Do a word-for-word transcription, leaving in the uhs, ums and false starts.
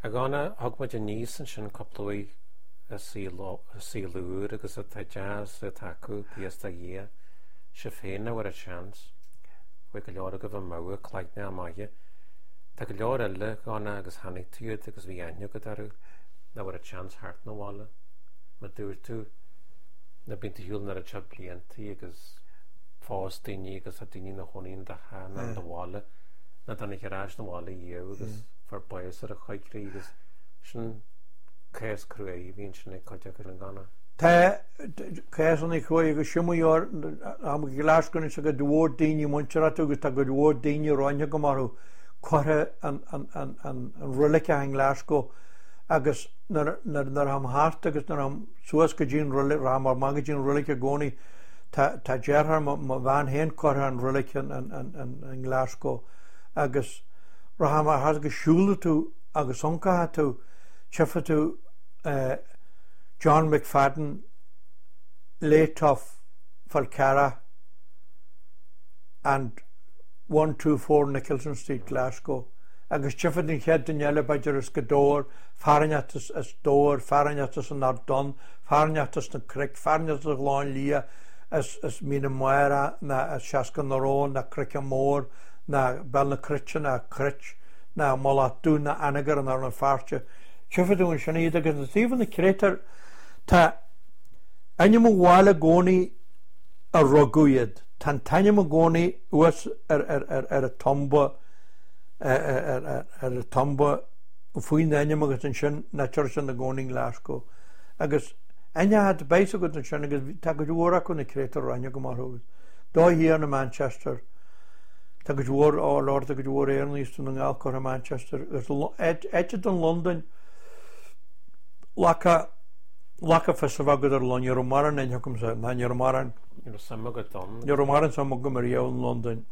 A Dhonna, thug muid aníos ansin cúpla uaidh i saol úr agus atá deas atá acu, buíochas do Dhia. Sibh féin a bhfuair an seans. Bhí go leor agaibh amuigh, cloigne maithe. Tá go leor eile, a Dhonna, agus chonaic tú iad agus bhí aithne agat orthu, nach bhfuair an seans theacht 'na bhaile. Mar dúirt tú, na bíonn tú ar shiúl an oiread seo bliantaí agus phós daoine agus tá daoine ina chónaí in do theach nó in do bhaile, nach dtáinig ar ais 'na bhaile riamh agus fuair bás ar a choigrích agus sin cás cruaidh a bhí ansin ag cuid acu, a Dhonna. Tá cásanna cruaidh agus sin mar am Glasgow anois tá cuid mhór daoine muinteartha agus tá cuid mhór daoine roinnte go maith curtha an an an an an roilig i nGlasgow agus nuair nuair nuair tháim thart agus nuair tháim suas go dtí an roilig rachaim amach go dtí an roilig i gcónaí tá tá deartháir mo mo bhean féin curtha an roilig in in in in in Glasgow agus rachaim thart agus siúlfaidh tú agus ioncóidh tú tchífidh tú eh, John McFadden late of Falcarragh and one two four Nicholson Street, Glasgow. Agus tchífidh an chéad duine eile b'fhéidir as Gaoth Dobhair, fear inteacht as as Dobhar, fear inteacht as an Ard Donn, fear inteacht as na Cnoic, fear inteacht as Gleann Liath, as as Mín na Mara ná as Seascann na Rón, ná Croiceann Mór, ná Béal na Cruite, ná Cruit, ná Mullach Dubh, ná Anagaire, ná Rann na Feirste. Tchífidh tú ansin iad agus na taobh na créatúir tá ainm an bhaile i gcónaí a rugadh iad. Tá an t-ainm i gcónaí thuas ar ar ar ar an tumba ar ar ar ar an tumba faoin ainm agus ansin na sin i gcónaí i nGlasgow. Agus aithne beidh agat ansin agus tá cuid mhór acu na créatúir aithne go maith orthu. Dó thiar na Manchester, tá cuid mhór á lord tá cuid mhór Éireannaigh is na nGall curtha Manchester agus áit den Londain laca laca fios a bheith agat ar Londain, ní raibh mórán aithne agamsa, ná ní raibh mórán Ní raibh suim agat ann. ní raibh mórán suim agam ariamh in Londain.